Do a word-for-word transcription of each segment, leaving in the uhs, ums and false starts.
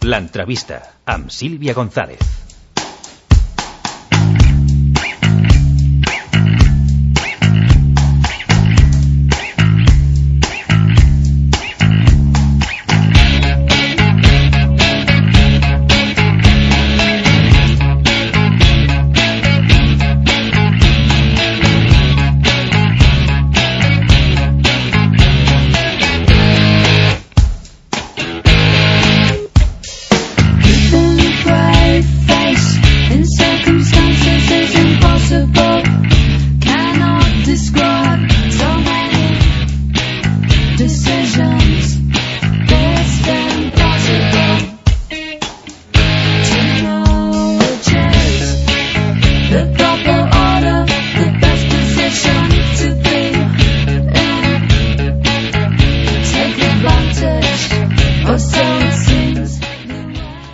L'entrevista amb Sílvia González.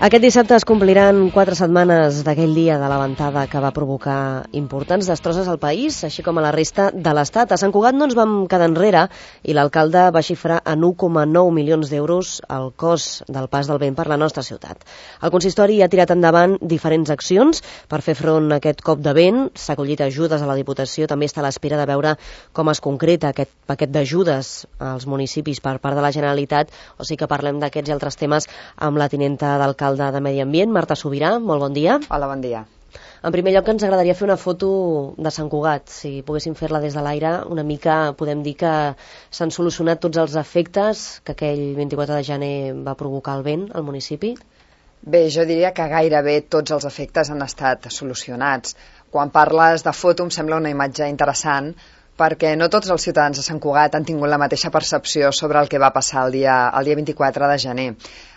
Aquest dissabte es compliran quatre setmanes d'aquell dia de la ventada que va provocar importants destrosses al país, així com a la resta de l'Estat. A Sant Cugat no ens vam quedar enrere i l'alcalde va xifrar en u coma nou milions d'euros el cost del pas del vent per la nostra ciutat. El consistori ha tirat endavant diferents accions per fer front a aquest cop de vent. S'ha acollit ajudes a la Diputació, també està a l'espera de veure com es concreta aquest paquet d'ajudes als municipis per part de la Generalitat, o sigui que parlem d'aquests i altres temes amb la tinenta d'alcalde de Medi Ambient, Marta Sobirà. Molt bon dia. Hola, bon dia. En primer lloc, ens agradaria fer una foto de Sant Cugat. Si poguéssim fer-la des de l'aire, una mica podem dir que s'han solucionat tots els efectes que aquell vint-i-quatre de gener va provocar el vent al municipi? Bé, jo diria que gairebé tots els efectes han estat solucionats. Quan parles de foto em sembla una imatge interessant perquè no tots els ciutadans de Sant Cugat han tingut la mateixa percepció sobre el que va passar el dia, el dia vint-i-quatre de gener.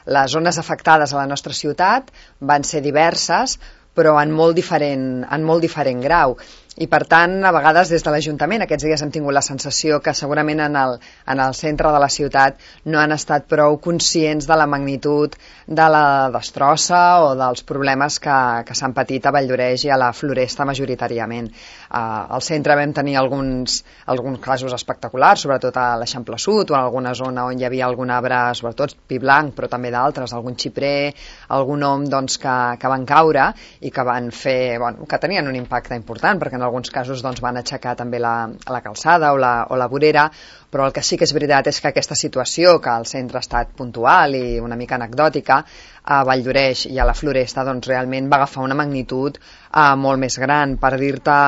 Les zones afectades a la nostra ciutat van ser diverses, però en molt diferent, en molt diferent grau. I per tant, a vegades des de l'Ajuntament aquests dies hem tingut la sensació que segurament en el, en el centre de la ciutat no han estat prou conscients de la magnitud de la destrossa o dels problemes que, que s'han patit a Valldoreix i a la Floresta majoritàriament. Uh, al centre vam tenir alguns, alguns casos espectaculars, sobretot a l'Eixample Sud o en alguna zona on hi havia algun arbre, sobretot pi blanc, però també d'altres, algun xiprer, algun om doncs, que, que van caure i que van fer, bueno, que tenien un impacte important, perquè en alguns casos doncs, van aixecar també la, la calçada o la, o la vorera, però el que sí que és veritat és que aquesta situació, que al centre ha estat puntual i una mica anecdòtica, a Valldoreix i a la Floresta doncs, realment va agafar una magnitud eh, molt més gran. Per dir-te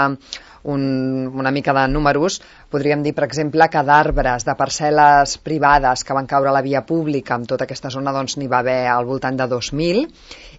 un, una mica de números, podríem dir, per exemple, que d'arbres, de parcel·les privades que van caure a la via pública, en tota aquesta zona doncs, n'hi va haver al voltant de dos mil,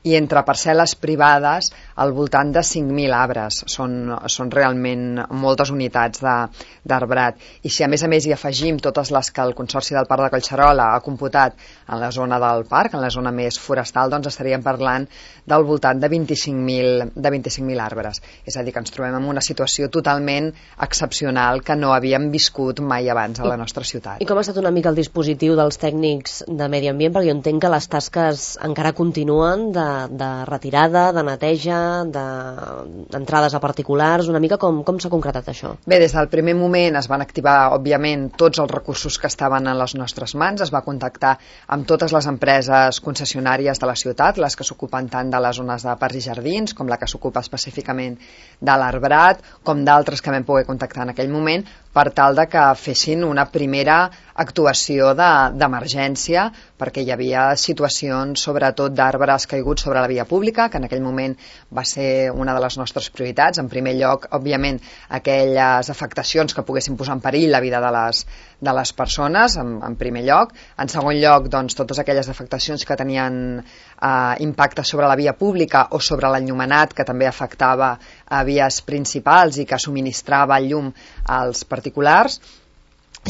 i entre parcel·les privades al voltant de cinc mil arbres. Són, són realment moltes unitats d'arbrat. I si a més a més hi afegim totes les que el Consorci del Parc de Collserola ha computat en la zona del parc, en la zona més forestal, doncs estaríem parlant del voltant de vint-i-cinc mil de vint-i-cinc mil arbres. És a dir, que ens trobem en una situació totalment excepcional que no havíem viscut mai abans a la nostra ciutat. I com ha estat una mica el dispositiu dels tècnics de Medi Ambient? Perquè jo entenc que les tasques encara continuen de, de retirada, de neteja, d'entrades de, a particulars, una mica com, com s'ha concretat això? Bé, des del primer moment es van activar, òbviament, tots els recursos que estaven en les nostres mans, es va contactar amb totes les empreses concessionàries de la ciutat, les que s'ocupen tant de les zones de parcs i jardins, com la que s'ocupa específicament de l'arbrat, com d'altres que vam poder contactar en aquell moment, per tal de que fessin una primera actuació d'emergència, de, perquè hi havia situacions, sobretot d'arbres caiguts sobre la via pública, que en aquell moment va ser una de les nostres prioritats. En primer lloc, òbviament, aquelles afectacions que poguessin posar en perill la vida de les, de les persones, en, en primer lloc. En segon lloc, doncs, totes aquelles afectacions que tenien eh, impacte sobre la via pública o sobre l'enllumenat, que també afectava a vies principals i que subministrava el llum als particulars.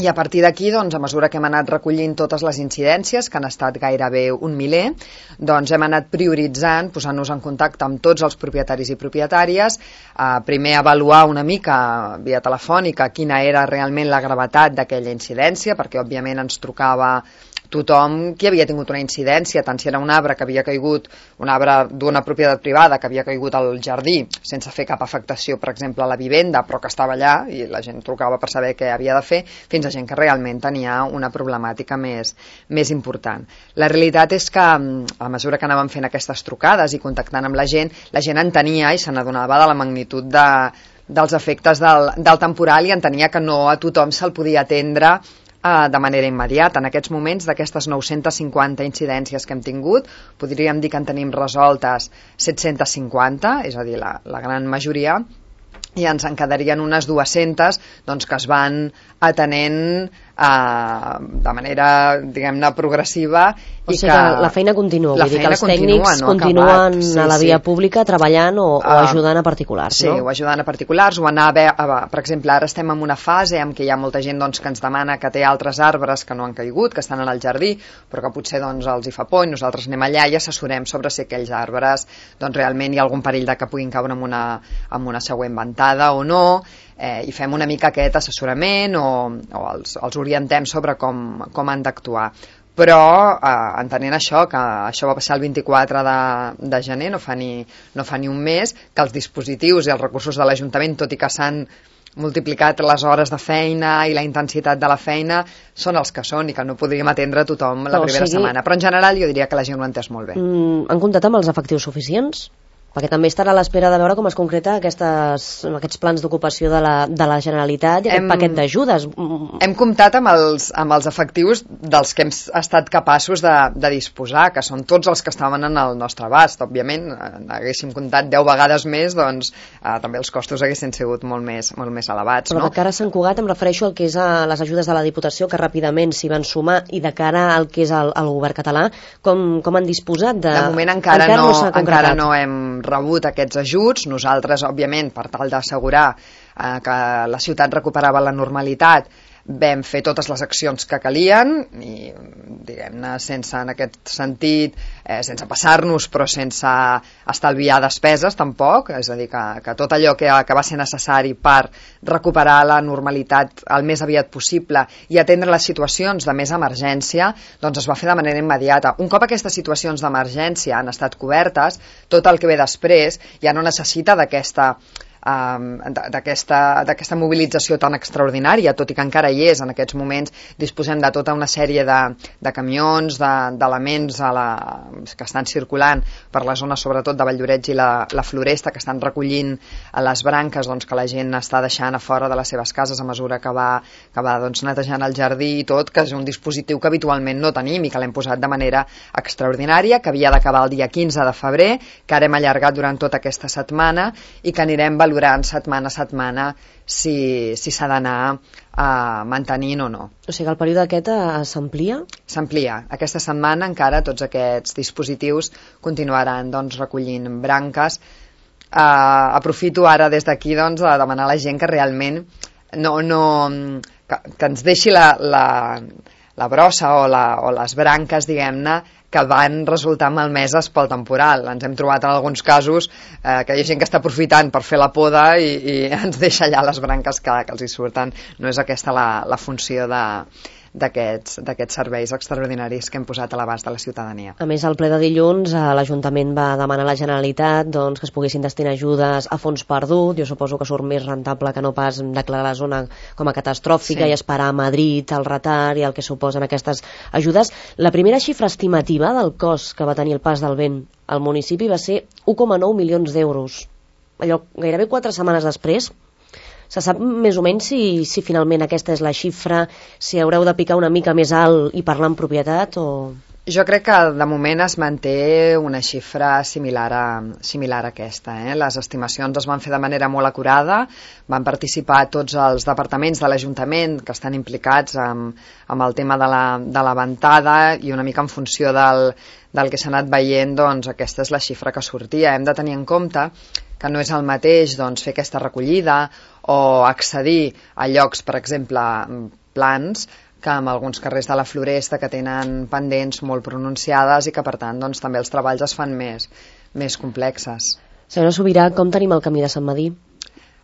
I a partir d'aquí, doncs, a mesura que hem anat recollint totes les incidències, que han estat gairebé un miler, doncs hem anat prioritzant, posant-nos en contacte amb tots els propietaris i propietàries, eh, primer avaluar una mica via telefònica quina era realment la gravetat d'aquella incidència, perquè òbviament ens trucava tothom qui havia tingut una incidència, tant si era un arbre que havia caigut, un arbre d'una propietat privada que havia caigut al jardí sense fer cap afectació, per exemple, a la vivenda, però que estava allà i la gent trucava per saber què havia de fer, fins fins a gent que realment tenia una problemàtica més, més important. La realitat és que a mesura que anàvem fent aquestes trucades i contactant amb la gent, la gent entenia i se n'adonava de la magnitud de, dels efectes del, del temporal i entenia que no a tothom se'l podia atendre eh, de manera immediata. En aquests moments, d'aquestes nou-centes cinquanta incidències que hem tingut, podríem dir que en tenim resoltes set-centes cinquanta, és a dir, la, la gran majoria, i ens en quedarien unes dues-centes doncs, que es van atenent eh, de manera, diguem-ne, progressiva. O sigui que, que la feina continua, vull dir que els continua, tècnics no continuen sí, a la via sí. pública treballant o, o Uh, ajudant a particulars, sí, no? Sí, o ajudant a particulars, o anar a veure, per exemple, ara estem en una fase en què hi ha molta gent doncs, que ens demana que té altres arbres que no han caigut, que estan en el jardí, però que potser doncs, els hi fa por i nosaltres anem allà i assessorem sobre si aquells arbres doncs, realment hi ha algun perill de que puguin caure en una, en una següent ventada o no, eh, i fem una mica aquest assessorament o, o els, els orientem sobre com, com han d'actuar. Però eh, entenent això, que això va passar el vint-i-quatre de, de gener, no fa, ni, no fa ni un mes, que els dispositius i els recursos de l'Ajuntament, tot i que s'han multiplicat les hores de feina i la intensitat de la feina, són els que són i que no podríem atendre a tothom la Però, primera o sigui, setmana. Però en general jo diria que la gent ho ha entès molt bé. Mm, han comptat amb els efectius suficients? Perquè també estarà a l'espera de veure com es concreta aquestes, aquests plans d'ocupació de, la, de la Generalitat i aquest hem, paquet d'ajudes. Hem comptat amb els, amb els efectius dels que hem estat capaços de, de disposar, que són tots els que estaven en el nostre abast. Òbviament, haguéssim comptat deu vegades més, doncs eh, també els costos haguessin sigut molt més, molt més elevats. Però no? de cara a Sant Cugat em refereixo al que és a les ajudes de la Diputació, que ràpidament s'hi van sumar, i de cara al que és el, el govern català, com, com han disposat de... De moment encara, encara no, no, encara no hem rebut aquests ajuts. Nosaltres, òbviament, per tal d'assegurar eh, que la ciutat recuperava la normalitat, vam fer totes les accions que calien i, diguem-ne, sense, en aquest sentit, eh, sense passar-nos, però sense estalviar despeses, tampoc, és a dir, que, que tot allò que, que va ser necessari per recuperar la normalitat el més aviat possible i atendre les situacions de més emergència, doncs es va fer de manera immediata. Un cop aquestes situacions d'emergència han estat cobertes, tot el que ve després ja no necessita d'aquesta Um, d'aquesta d'aquesta mobilització tan extraordinària, tot i que encara hi és. En aquests moments disposem de tota una sèrie de, de camions, d'elements de, la, que estan circulant per la zona, sobretot de Valldoreix i la, la Floresta, que estan recollint a les branques doncs, que la gent està deixant a fora de les seves cases a mesura que va, que va doncs, netejant el jardí i tot, que és un dispositiu que habitualment no tenim i que l'hem posat de manera extraordinària, que havia d'acabar el dia quinze de febrer, que ara hem allargat durant tota aquesta setmana i que anirem valorant durant setmana a setmana si si s'ha d'anar uh, mantenint o no. O sigui, el període aquest uh, s'amplia? S'amplia. Aquesta setmana encara tots aquests dispositius continuaran doncs, recollint branques. Uh, aprofito ara des d'aquí doncs, a demanar a la gent que realment no, no, que, que ens deixi la, la, la brossa o, la, o les branques, diguem-ne, que van resultar malmeses pel temporal. Ens hem trobat en alguns casos eh, que hi ha gent que està aprofitant per fer la poda i, i ens deixa allà les branques que, que els hi surten. No és aquesta la, la funció de d'aquests d'aquests serveis extraordinaris que hem posat a l'abast de la ciutadania. A més, al ple de dilluns, l'Ajuntament va demanar a la Generalitat doncs, que es poguessin destinar ajudes a fons perdut. Jo suposo que surt més rentable que no pas declarar la zona com a catastròfica, sí, i esperar a Madrid el retard i el que suposen aquestes ajudes. La primera xifra estimativa del cost que va tenir el pas del vent al municipi va ser un coma nou milions d'euros. Allò, gairebé quatre setmanes després. Se sap més o menys si, si finalment aquesta és la xifra, si haureu de picar una mica més alt i parlar en propietat o... Jo crec que de moment es manté una xifra similar a, similar a aquesta. Eh? Les estimacions es van fer de manera molt acurada, van participar tots els departaments de l'Ajuntament que estan implicats amb, amb el tema de la, de la ventada i una mica en funció del, del que s'ha anat veient, doncs aquesta és la xifra que sortia. Hem de tenir en compte que no és el mateix doncs, fer aquesta recollida o accedir a llocs, per exemple, plans, que en alguns carrers de la Floresta que tenen pendents molt pronunciades i que, per tant, doncs, també els treballs es fan més, més complexes. Senyora Subirà, com tenim el camí de Sant Medir?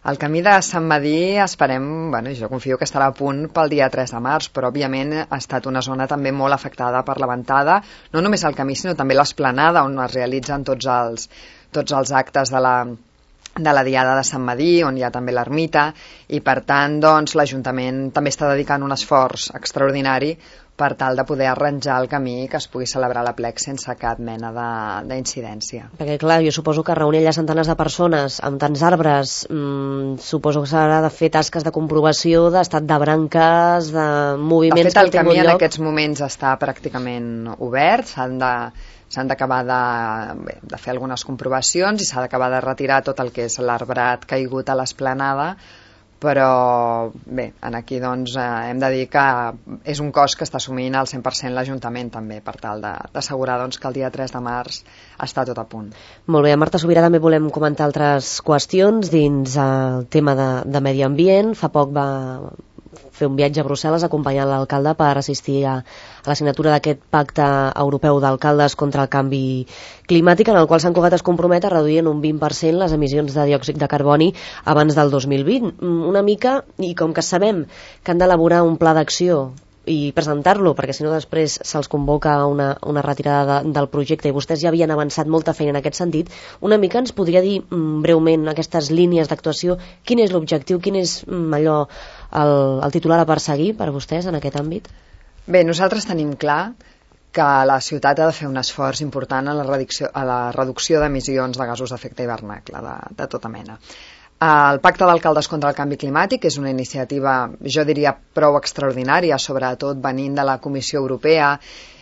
El camí de Sant Medir esperem, bueno, jo confio que estarà a punt pel dia tres de març, però òbviament ha estat una zona també molt afectada per la ventada, no només el camí, sinó també l'esplanada on es realitzen tots els, tots els actes de la, de la Diada de Sant Medir, on hi ha també l'ermita, i per tant doncs, l'Ajuntament també està dedicant un esforç extraordinari per tal de poder arranjar el camí que es pugui celebrar l'aplec sense cap mena d'incidència. Perquè clar, jo suposo que reunir allà centenars de persones amb tants arbres, mmm, suposo que s'haurà de fer tasques de comprovació d'estat de branques, de moviments... De fet, el camí en aquests moments està pràcticament obert, s'han de... s'han d'acabar de, bé, de fer algunes comprovacions i s'ha d'acabar de retirar tot el que és l'arbrat caigut a l'esplanada, però bé, aquí doncs eh, hem de dir que és un cost que està assumint al cent per cent l'Ajuntament també, per tal d'assegurar doncs, que el dia tres de març està tot a punt. Molt bé, a Marta Subirà també volem comentar altres qüestions dins el tema de, de medi ambient. Fa poc va fer un viatge a Brussel·les acompanyant l'alcalde per assistir a, a la signatura d'aquest pacte europeu d'alcaldes contra el canvi climàtic, en el qual Sant Cugat es compromet a reduir en un vint per cent les emissions de diòxid de carboni abans del dos mil vint. Una mica, i com que sabem que han d'elaborar un pla d'acció i presentar-lo, perquè si no després se'ls convoca una, una retirada de, del projecte, i vostès ja havien avançat molta feina en aquest sentit, una mica ens podria dir mm, breument aquestes línies d'actuació, quin és l'objectiu, quin és mm, allò, el, el titular a perseguir per vostès en aquest àmbit? Bé, nosaltres tenim clar que la ciutat ha de fer un esforç important a la reducció, a la reducció d'emissions de gasos d'efecte hivernacle de, de tota mena. El Pacte d'Alcaldes contra el Canvi Climàtic és una iniciativa, jo diria, prou extraordinària, sobretot venint de la Comissió Europea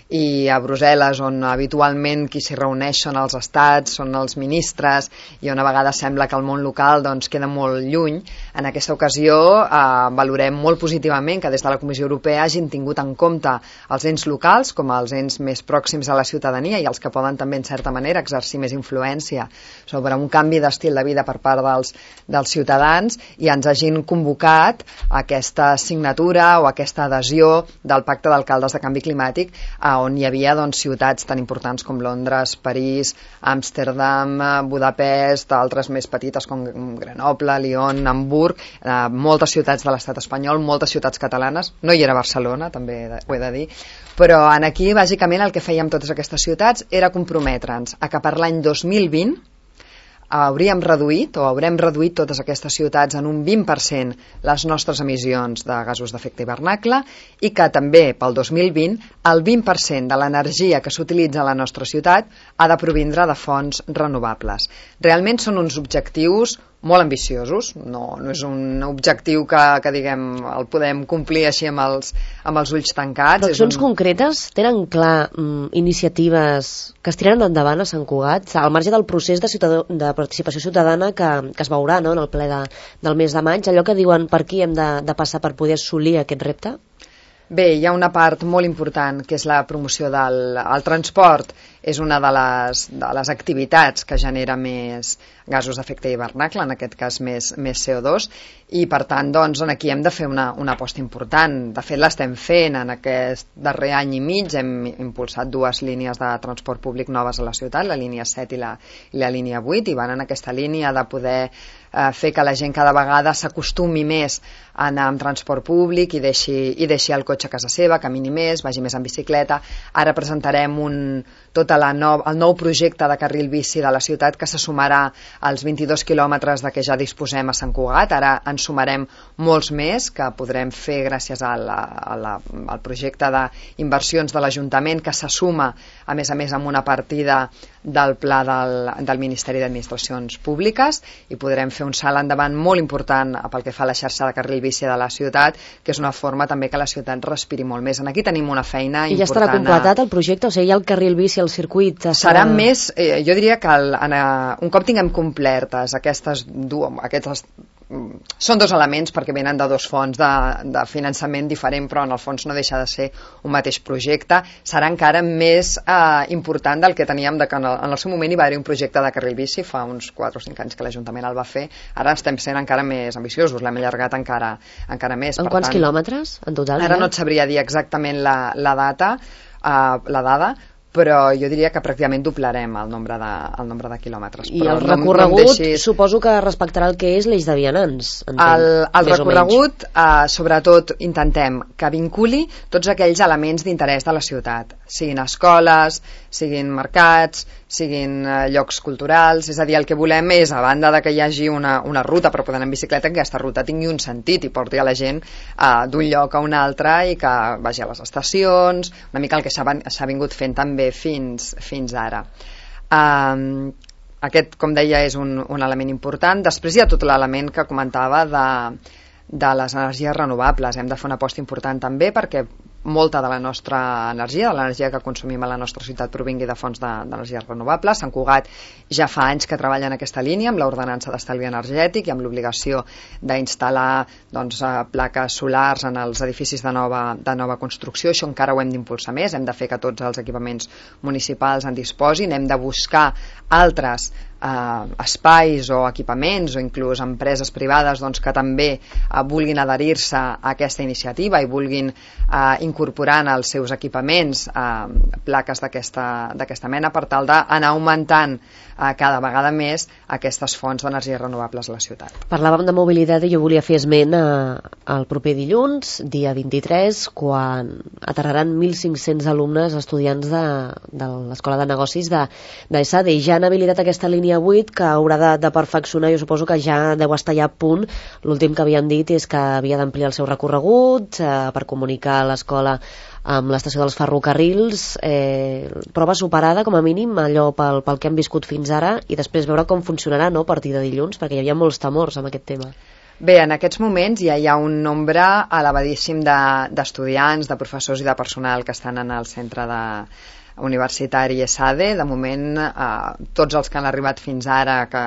i a Brussel·les, on habitualment qui s'hi reuneix són els estats, són els ministres, i on a vegades sembla que el món local doncs, queda molt lluny. En aquesta ocasió eh, valorem molt positivament que des de la Comissió Europea hagin tingut en compte els ens locals com els ens més pròxims a la ciutadania i els que poden també, en certa manera, exercir més influència sobre un canvi d'estil de vida per part dels, dels ciutadans, i ens hagin convocat a aquesta signatura o aquesta adhesió del Pacte d'Alcaldes de Canvi Climàtic, a on hi havia doncs, ciutats tan importants com Londres, París, Amsterdam, Budapest, altres més petites com Grenoble, Lyon, Hamburg, eh, moltes ciutats de l'estat espanyol, moltes ciutats catalanes, no hi era Barcelona, també ho he de dir, però en aquí bàsicament el que fèiem totes aquestes ciutats era comprometre'ns a que per l'any dos mil vint hauríem reduït o haurem reduït totes aquestes ciutats en un vint per cent les nostres emissions de gasos d'efecte hivernacle, i que també pel dos mil vint el vint per cent de l'energia que s'utilitza a la nostra ciutat ha de provindre de fonts renovables. Realment són uns objectius molt ambiciosos, no, no és un objectiu que, que diguem, el podem complir així amb els, amb els ulls tancats. Però accions un... concretes? Tenen clar mm, iniciatives que es tiren endavant a Sant Cugat, al marge del procés de, ciutadà, de participació ciutadana que, que es veurà, no?, en el ple de, del mes de maig, allò que diuen per aquí hem de, de passar per poder assolir aquest repte? Bé, hi ha una part molt important que és la promoció del el transport. És una de les, de les activitats que genera més gasos d'efecte hivernacle, en aquest cas més, més C O dos, i per tant doncs, aquí hem de fer una, una aposta important. De fet l'estem fent en aquest darrer any i mig, hem impulsat dues línies de transport públic noves a la ciutat, la línia set i la, i la línia vuit, i van en aquesta línia de poder eh, fer que la gent cada vegada s'acostumi més a anar amb transport públic i deixi, i deixi el cotxe a casa seva, camini més, vagi més en bicicleta. Ara presentarem un, tota la nou, el nou projecte de carril bici de la ciutat que se sumarà als vint-i-dos quilòmetres de què ja disposem a Sant Cugat. Ara en sumarem molts més que podrem fer gràcies a la, a la, al projecte d'inversions de l'Ajuntament, que se suma a més a més amb una partida del pla del, del Ministeri d'Administracions Públiques, i podrem fer un salt endavant molt important pel que fa a la xarxa de carril bici de la ciutat, que és una forma també que la ciutat respiri molt més. Aquí tenim una feina I important. I ja estarà completat el projecte? O sigui, hi ha el carril bici, el circuit... Serà, serà més, eh, jo diria que el, en, uh, un cop tinguem complertes aquestes dues, aquestes, mm, són dos elements perquè venen de dos fons de, de finançament diferent, però en el fons no deixa de ser un mateix projecte. Serà encara més eh, important del que teníem, de que en el, en el seu moment hi va haver un projecte de carril bici fa uns quatre o cinc anys que l'Ajuntament el va fer. Ara estem sent encara més ambiciosos, l'hem allargat encara, encara més. En per quants tant, quilòmetres en total? Ara ja? no et sabria dir exactament la, la data, uh, la dada, però jo diria que pràcticament doblarem el nombre de, el nombre de quilòmetres. I però el no, recorregut no deixis... suposo que respectarà el que és l'eix de vianants. Entenc, el el recorregut, eh, sobretot, intentem que vinculi tots aquells elements d'interès de la ciutat, siguin escoles, siguin mercats, siguin eh, llocs culturals, és a dir, el que volem és, a banda de que hi hagi una, una ruta per poder anar en bicicleta, que aquesta ruta tingui un sentit i porti a la gent eh, d'un lloc a un altre i que vagi a les estacions, una mica el que s'ha vingut fent també fins, fins ara. Um, aquest, com deia, és un, un element important. Després hi ha tot l'element que comentava de, de les energies renovables. Hem de fer una aposta important també perquè molta de la nostra energia, de l'energia que consumim a la nostra ciutat, provingui de fonts d'energies de, renovables. Sant Cugat ja fa anys que treballa en aquesta línia amb l'ordenança d'estalvi energètic i amb l'obligació d'instal·lar doncs, plaques solars en els edificis de nova, de nova construcció. Això encara ho hem d'impulsar més, hem de fer que tots els equipaments municipals en disposin, hem de buscar altres eh, espais o equipaments o inclús empreses privades doncs, que també eh, vulguin adherir-se a aquesta iniciativa i vulguin eh, incorporar en els seus equipaments eh, plaques d'aquesta mena per tal d'anar augmentant eh, cada vegada més aquestes fonts d'energies renovables a la ciutat. Parlàvem de mobilitat i jo volia fer esment eh, el proper dilluns, dia vint-i-tres, quan aterraran mil cinc-cents alumnes estudiants de, de l'Escola de Negocis de, de ESADE i ja han habilitat aquesta línia vuit que haurà de, de perfeccionar, jo suposo que ja deu estar ja a punt. L'últim que havien dit és que havia d'ampliar el seu recorregut eh, per comunicar l'escola amb l'estació dels ferrocarrils, eh, prova superada com a mínim allò pel, pel que hem viscut fins ara i després veure com funcionarà, no?, a partir de dilluns, perquè hi havia molts temors amb aquest tema. Bé, en aquests moments ja hi ha un nombre elevadíssim d'estudiants, de, de professors i de personal que estan en el centre de universitari ESADE. De moment, eh, tots els que han arribat fins ara, que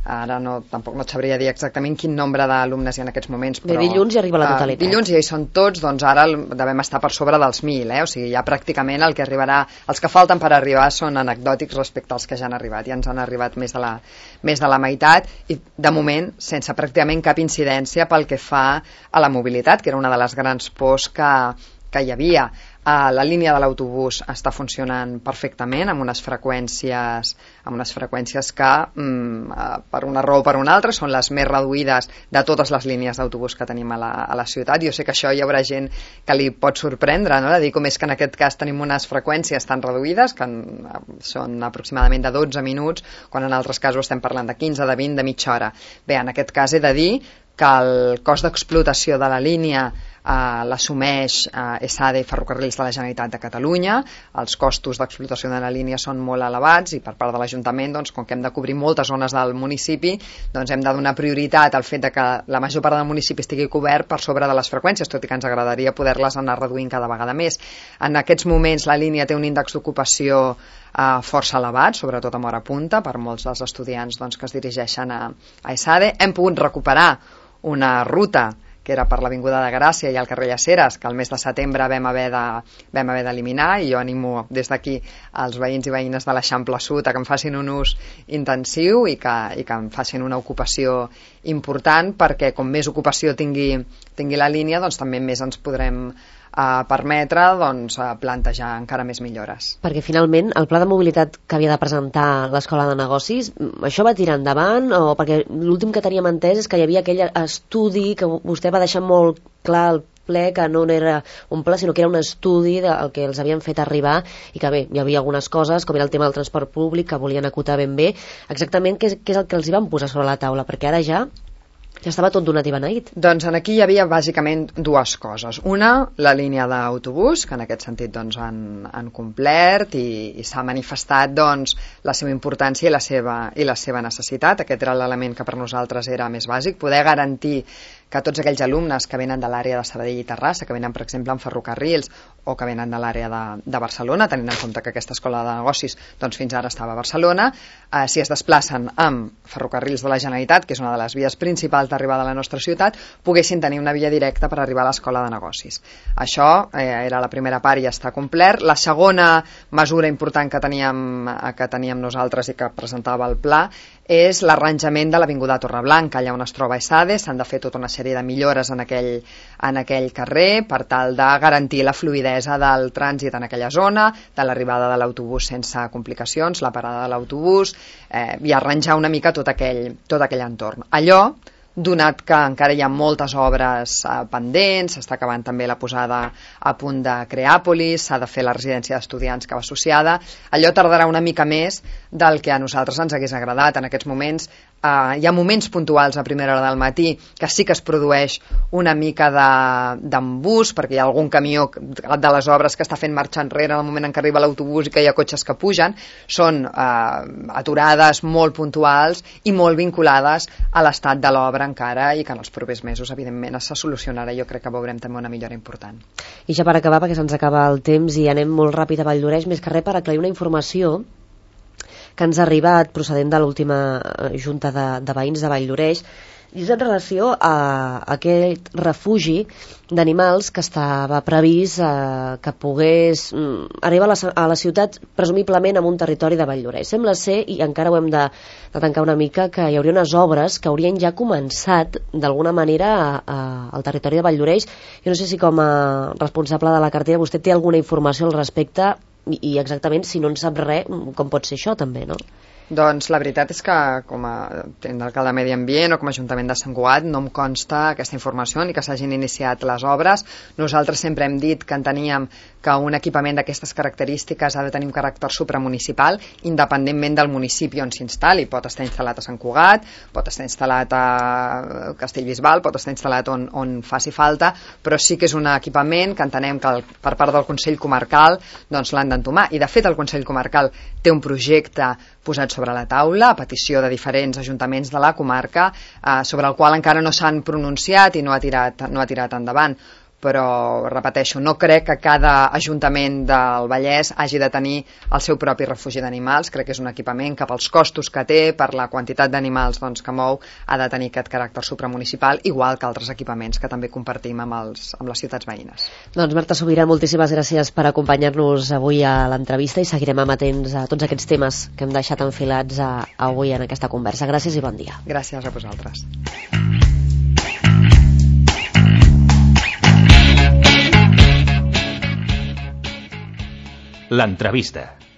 ara no, tampoc no et sabria dir exactament quin nombre d'alumnes hi ha en aquests moments, però... Bé, dilluns hi arriba la totalitat. Uh, dilluns ja hi són tots, doncs ara devem estar per sobre dels mil, eh? O sigui, ja pràcticament el que arribarà... Els que falten per arribar són anecdòtics respecte als que ja han arribat. Ja ens han arribat més de la, més de la meitat i, de moment, sense pràcticament cap incidència pel que fa a la mobilitat, que era una de les grans pors que, que hi havia. Uh, la línia de l'autobús està funcionant perfectament amb unes freqüències amb unes freqüències que um, uh, per una raó o per una altra són les més reduïdes de totes les línies d'autobús que tenim a la, a la ciutat. Jo sé que això hi haurà gent que li pot sorprendre, no? De dir com és que en aquest cas tenim unes freqüències tan reduïdes que uh, són aproximadament de dotze minuts, quan en altres casos estem parlant de quinze, de vint, de mitja hora. Bé, en aquest cas he de dir que el cost d'explotació de la línia Uh, l'assumeix uh, ESADE i Ferrocarrils de la Generalitat de Catalunya. Els costos d'explotació de la línia són molt elevats i per part de l'Ajuntament, doncs, com que hem de cobrir moltes zones del municipi, doncs hem de donar prioritat al fet de que la major part del municipi estigui cobert per sobre de les freqüències, tot i que ens agradaria poder-les anar reduint cada vegada més. En aquests moments la línia té un índex d'ocupació uh, força elevat, sobretot a hora punta, per molts dels estudiants doncs, que es dirigeixen a, a ESADE. Hem pogut recuperar una ruta que era per l'Avinguda de Gràcia i al carrer Llaceres, que el mes de setembre vam haver de, vam haver d'eliminar, i jo animo des d'aquí als veïns i veïnes de l'Eixample Sud a que en facin un ús intensiu i que, i que en facin una ocupació important, perquè com més ocupació tingui, tingui la línia, doncs també més ens podrem a permetre doncs, a plantejar encara més millores. Perquè finalment el pla de mobilitat que havia de presentar l'Escola de Negocis, això va tirar endavant? O perquè l'últim que teníem entès és que hi havia aquell estudi que vostè va deixar molt clar al ple que no era un pla, sinó que era un estudi del que els havien fet arribar i que bé, hi havia algunes coses, com era el tema del transport públic, que volien acotar ben bé. Exactament què és, què és el que els hi van posar sobre la taula? Perquè ara ja ja estava tot donat i beneït. Doncs aquí hi havia bàsicament dues coses. Una, la línia d'autobús, que en aquest sentit doncs, han, han complert i, i s'ha manifestat doncs, la seva importància i la seva, i la seva necessitat. Aquest era l'element que per nosaltres era més bàsic, poder garantir que tots aquells alumnes que venen de l'àrea de Sabadell i Terrassa, que venen, per exemple, en ferrocarrils o que venen de l'àrea de, de Barcelona, tenint en compte que aquesta escola de negocis doncs, fins ara estava a Barcelona, eh, si es desplacen amb ferrocarrils de la Generalitat, que és una de les vies principals d'arribada a la nostra ciutat, poguessin tenir una via directa per arribar a l'escola de negocis. Això eh, era la primera part i ja està complert. La segona mesura important que teníem, que teníem nosaltres i que presentava el pla és l'arranjament de l'Avinguda Torreblanca, allà on es troba ESADE. S'han de fer tota una sèrie de millores en aquell, en aquell carrer per tal de garantir la fluïdesa del trànsit en aquella zona, de l'arribada de l'autobús sense complicacions, la parada de l'autobús, eh, i arranjar una mica tot aquell, tot aquell entorn. Allò, donat que encara hi ha moltes obres eh, pendents, s'està acabant també la posada a punt de Creàpolis, s'ha de fer la residència d'estudiants que va associada, allò tardarà una mica més del que a nosaltres ens hagués agradat. En aquests moments eh, hi ha moments puntuals a primera hora del matí que sí que es produeix una mica d'embús, perquè hi ha algun camió de les obres que està fent marxa enrere en el moment en què arriba l'autobús i que hi ha cotxes que pugen. Són eh, aturades molt puntuals i molt vinculades a l'estat de l'obra encara, i que en els propers mesos evidentment se solucionarà. Jo crec que veurem també una millora important. I ja per acabar, perquè se'ns acaba el temps i anem molt ràpid a Valldoreix, més que res per aclarir una informació que ens ha arribat procedent de l'última junta de, de veïns de Valldoreix, i és en relació a aquest refugi d'animals que estava previst eh, que pogués mm, arribar a la, a la ciutat presumiblement en un territori de Valldoreix. Sembla ser, i encara ho hem de, de tancar una mica, que hi hauria unes obres que haurien ja començat d'alguna manera a, a, al territori de Valldoreix. Jo no sé si com a responsable de la cartera vostè té alguna informació al respecte i, i exactament, si no en sap res, com pot ser això també, no? Doncs la veritat és que com a alcalde de Medi Ambient o com a Ajuntament de Sant Cugat no em consta aquesta informació ni que s'hagin iniciat les obres. Nosaltres sempre hem dit que enteníem que un equipament d'aquestes característiques ha de tenir un caràcter supramunicipal, independentment del municipi on s'instal·li. Pot estar instal·lat a Sant Cugat, pot estar instal·lat a Castellbisbal, pot estar instal·lat on, on faci falta, però sí que és un equipament que entenem que el, per part del Consell Comarcal doncs l'han d'entomar. I de fet el Consell Comarcal té un projecte posat sobre la taula a petició de diferents ajuntaments de la comarca, eh, sobre el qual encara no s'han pronunciat i no ha tirat, no ha tirat endavant. Però, repeteixo, no crec que cada ajuntament del Vallès hagi de tenir el seu propi refugi d'animals. Crec que és un equipament que pels costos que té, per la quantitat d'animals doncs, que mou, ha de tenir aquest caràcter supramunicipal, igual que altres equipaments que també compartim amb, els, amb les ciutats veïnes. Doncs Marta Sobirà, moltíssimes gràcies per acompanyar-nos avui a l'entrevista i seguirem amatents a tots aquests temes que hem deixat enfilats a, a avui en aquesta conversa. Gràcies i bon dia. Gràcies a vosaltres. L'entrevista.